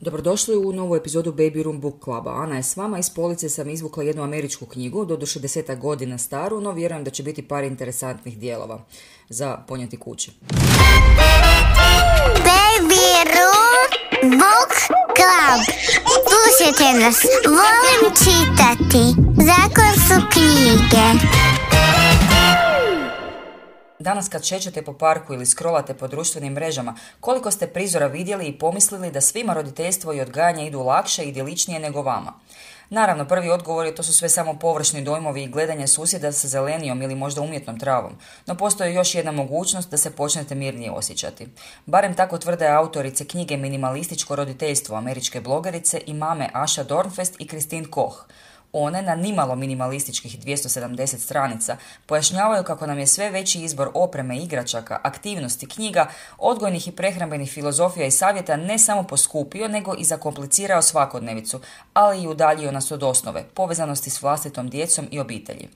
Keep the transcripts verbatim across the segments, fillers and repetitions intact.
Dobrodošli u novu epizodu Baby Room Book Cluba. Ana je s vama, iz police sam izvukla jednu američku knjigu, doduše desetak godina staru, no vjerujem da će biti par interesantnih dijelova za ponijeti kući. Baby Room Book Club. Slušajte nas, volim čitati. Zakon su knjige. Danas kad šećete po parku ili scrollate po društvenim mrežama, koliko ste prizora vidjeli i pomislili da svima roditeljstvo i odgajanje idu lakše i idiličnije nego vama? Naravno, prvi odgovor je to su sve samo površni dojmovi i gledanje susjeda sa zelenijom ili možda umjetnom travom, no postoji još jedna mogućnost da se počnete mirnije osjećati. Barem tako tvrde autorice knjige Minimalističko roditeljstvo američke blogerice i mame Asha Dornfest i Christine Koch. One na nimalo minimalističkih dvjesto sedamdeset stranica pojašnjavaju kako nam je sve veći izbor opreme, igračaka, aktivnosti, knjiga, odgojnih i prehrambenih filozofija i savjeta ne samo poskupio, nego i zakomplicirao svakodnevicu, ali i udaljio nas od osnove, povezanosti s vlastitom djecom i obitelji.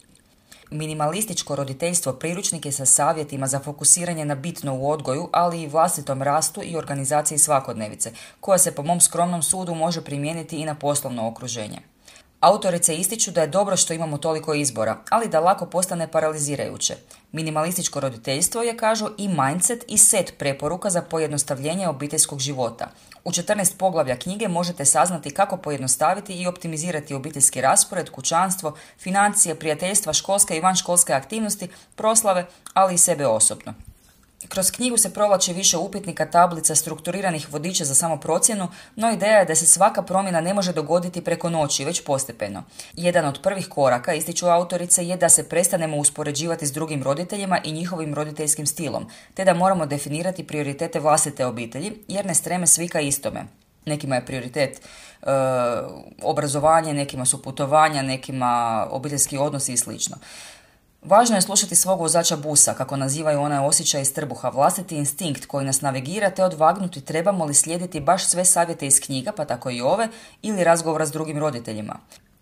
Minimalističko roditeljstvo priručnik je sa savjetima za fokusiranje na bitno u odgoju, ali i vlastitom rastu i organizaciji svakodnevice, koja se po mom skromnom sudu može primijeniti i na poslovno okruženje. Autorice ističu da je dobro što imamo toliko izbora, ali da lako postane paralizirajuće. Minimalističko roditeljstvo je, kažu, i mindset i set preporuka za pojednostavljenje obiteljskog života. U četrnaest poglavlja knjige možete saznati kako pojednostaviti i optimizirati obiteljski raspored, kućanstvo, financije, prijateljstva, školske i vanškolske aktivnosti, proslave, ali i sebe osobno. Kroz knjigu se provlači više upitnika, tablica, strukturiranih vodiča za samoprocjenu, no ideja je da se svaka promjena ne može dogoditi preko noći, već postepeno. Jedan od prvih koraka, ističu autorice, je da se prestanemo uspoređivati s drugim roditeljima i njihovim roditeljskim stilom, te da moramo definirati prioritete vlastite obitelji, jer ne streme svi ka istome. Nekima je prioritet e, obrazovanje, nekima su putovanja, nekima obiteljski odnosi i slično. Važno je slušati svog vozača busa, kako nazivaju onaj osjećaj iz trbuha, vlastiti instinkt koji nas navigira, te odvagnuti trebamo li slijediti baš sve savjete iz knjiga, pa tako i ove, ili razgovora s drugim roditeljima.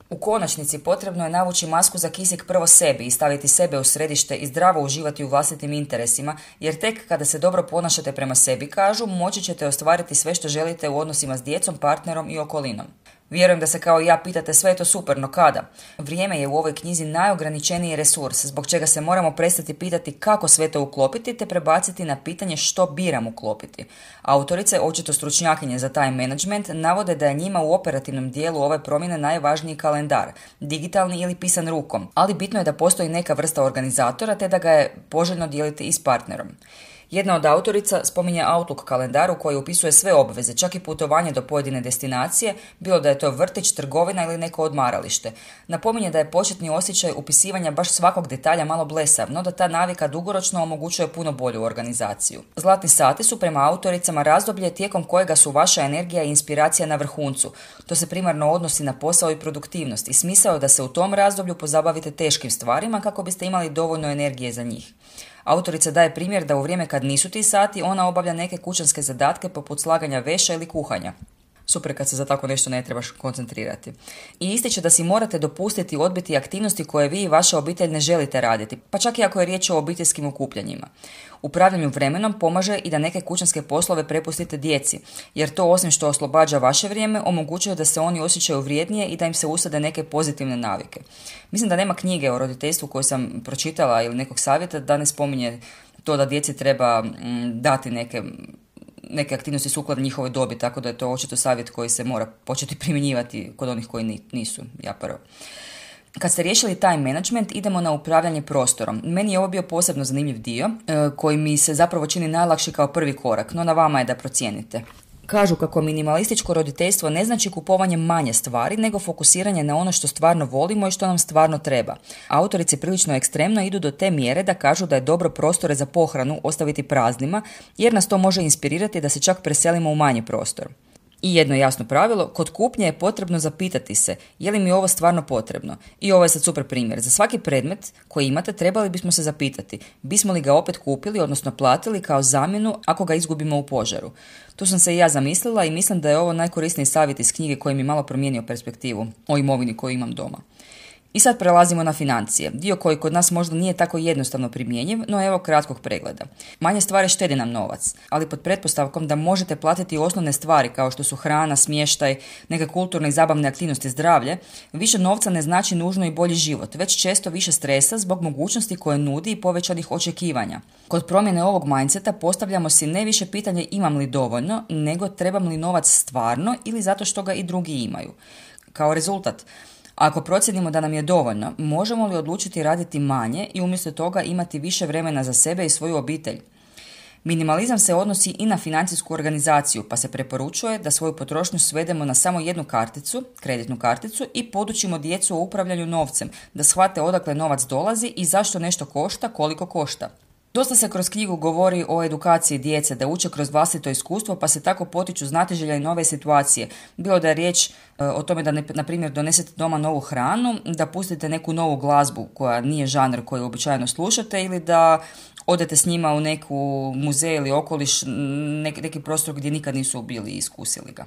U konačnici potrebno je navući masku za kisik prvo sebi i staviti sebe u središte i zdravo uživati u vlastitim interesima, jer tek kada se dobro ponašate prema sebi, kažu, moći ćete ostvariti sve što želite u odnosima s djecom, partnerom i okolinom. Vjerujem da se kao i ja pitate sve je to super, no kada? Vrijeme je u ovoj knjizi najograničeniji resurs, zbog čega se moramo prestati pitati kako sve to uklopiti, te prebaciti na pitanje što biram uklopiti. Autorice, očito stručnjakinje za time management, navode da je njima u operativnom dijelu ove promjene najvažniji kalendar, digitalni ili pisan rukom, ali bitno je da postoji neka vrsta organizatora, te da ga je poželjno dijeliti i s partnerom. Jedna od autorica spominje Outlook kalendar u koji upisuje sve obveze, čak i putovanje do pojedine destinacije, bilo da je to vrtić, trgovina ili neko odmaralište. Napominje da je početni osjećaj upisivanja baš svakog detalja malo blesav, no da ta navika dugoročno omogućuje puno bolju organizaciju. Zlatni sati su prema autoricama razdoblje tijekom kojega su vaša energija i inspiracija na vrhuncu. To se primarno odnosi na posao i produktivnost i smisao je da se u tom razdoblju pozabavite teškim stvarima kako biste imali dovoljno energije za njih. Autorica daje primjer da u vrijeme kad nisu ti sati, ona obavlja neke kućanske zadatke poput slaganja veša ili kuhanja. Super kad se za tako nešto ne trebaš koncentrirati. I ističe da si morate dopustiti odbiti aktivnosti koje vi i vaša obitelj ne želite raditi, pa čak i ako je riječ o obiteljskim okupljanjima. Upravljanju vremenom pomaže i da neke kućanske poslove prepustite djeci, jer to osim što oslobađa vaše vrijeme, omogućuje da se oni osjećaju vrijednije i da im se usade neke pozitivne navike. Mislim da nema knjige o roditeljstvu koju sam pročitala ili nekog savjeta da ne spominje to da djeci treba dati neke neke aktivnosti sukladno njihovoj dobi, tako da je to očito savjet koji se mora početi primjenjivati kod onih koji nisu, ja prvo. Kad ste riješili time management, idemo na upravljanje prostorom. Meni je ovo bio posebno zanimljiv dio, koji mi se zapravo čini najlakši kao prvi korak, no na vama je da procijenite. Kažu kako minimalističko roditeljstvo ne znači kupovanje manje stvari, nego fokusiranje na ono što stvarno volimo i što nam stvarno treba. Autorice prilično ekstremno idu do te mjere da kažu da je dobro prostore za pohranu ostaviti praznima, jer nas to može inspirirati da se čak preselimo u manji prostor. I jedno jasno pravilo, kod kupnje je potrebno zapitati se je li mi ovo stvarno potrebno. I ovo je sad super primjer. Za svaki predmet koji imate trebali bismo se zapitati bismo li ga opet kupili, odnosno platili kao zamjenu ako ga izgubimo u požaru. Tu sam se i ja zamislila i mislim da je ovo najkorisniji savjet iz knjige koji mi malo promijenio perspektivu o imovini koju imam doma. I sad prelazimo na financije, dio koji kod nas možda nije tako jednostavno primjenjiv, no evo kratkog pregleda. Manje stvari štedi nam novac, ali pod pretpostavkom da možete platiti osnovne stvari kao što su hrana, smještaj, neke kulturne i zabavne aktivnosti, zdravlje, više novca ne znači nužno i bolji život, već često više stresa zbog mogućnosti koje nudi i povećanih očekivanja. Kod promjene ovog mindseta postavljamo si ne više pitanje imam li dovoljno, nego trebam li novac stvarno ili zato što ga i drugi imaju. Kao rezultat, ako procijenimo da nam je dovoljno, možemo li odlučiti raditi manje i umjesto toga imati više vremena za sebe i svoju obitelj? Minimalizam se odnosi i na financijsku organizaciju, pa se preporučuje da svoju potrošnju svedemo na samo jednu karticu, kreditnu karticu, i podučimo djecu o upravljanju novcem, da shvate odakle novac dolazi i zašto nešto košta, koliko košta. Dosta se kroz knjigu govori o edukaciji djece, da uče kroz vlastito iskustvo, pa se tako potiču znatiželja i nove situacije. Bilo da je riječ e, o tome da, ne, na primjer, donesete doma novu hranu, da pustite neku novu glazbu koja nije žanr koji običajno slušate, ili da odete s njima u neku muzej ili okoliš, nek, neki prostor gdje nikad nisu bili i iskusili ga.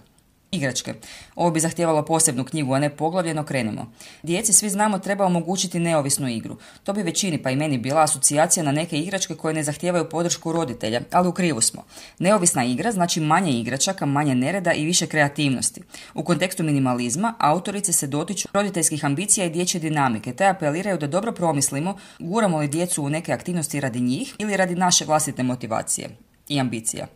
Igračke. Ovo bi zahtijevalo posebnu knjigu, a ne poglavlje, no krenimo. Djeci, svi znamo, treba omogućiti neovisnu igru. To bi većini, pa i meni, bila asocijacija na neke igračke koje ne zahtijevaju podršku roditelja, ali u krivu smo. Neovisna igra znači manje igračaka, manje nereda i više kreativnosti. U kontekstu minimalizma, autorice se dotiču roditeljskih ambicija i dječje dinamike, te apeliraju da dobro promislimo guramo li djecu u neke aktivnosti radi njih ili radi naše vlastite motivacije i ambicija.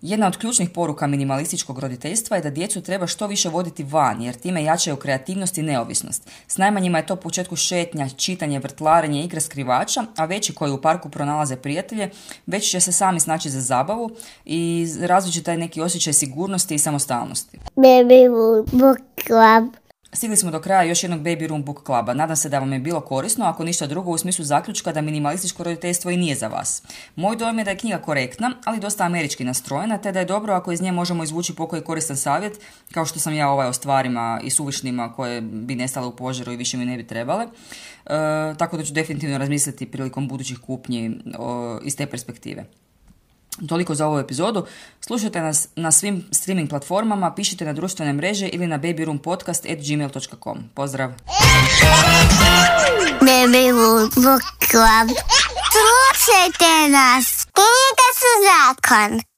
Jedna od ključnih poruka minimalističkog roditeljstva je da djecu treba što više voditi van, jer time jačaju kreativnost i neovisnost. S najmanjima je to u početku šetnja, čitanje, vrtlarenje, igra skrivača, a veći koji u parku pronalaze prijatelje, već će se sami snaći za zabavu i razvit će taj neki osjećaj sigurnosti i samostalnosti. Baby Book Club. Stigli smo do kraja još jednog Baby Room Book Cluba. Nadam se da vam je bilo korisno, ako ništa drugo u smislu zaključka da minimalističko roditeljstvo i nije za vas. Moj dojam je da je knjiga korektna, ali dosta američki nastrojena, te da je dobro ako iz nje možemo izvući pokoji koristan savjet, kao što sam ja ovaj o stvarima i suvišnima koje bi nestale u požaru i više mi ne bi trebale. E, tako da ću definitivno razmisliti prilikom budućih kupnji o, iz te perspektive. Toliko za ovu epizodu. Slušajte nas na svim streaming platformama, pišite na društvene mreže ili na babyroompodcast at gmail dot com. Pozdrav! Baby Book Club. Slušajte nas. Knjige su zakon.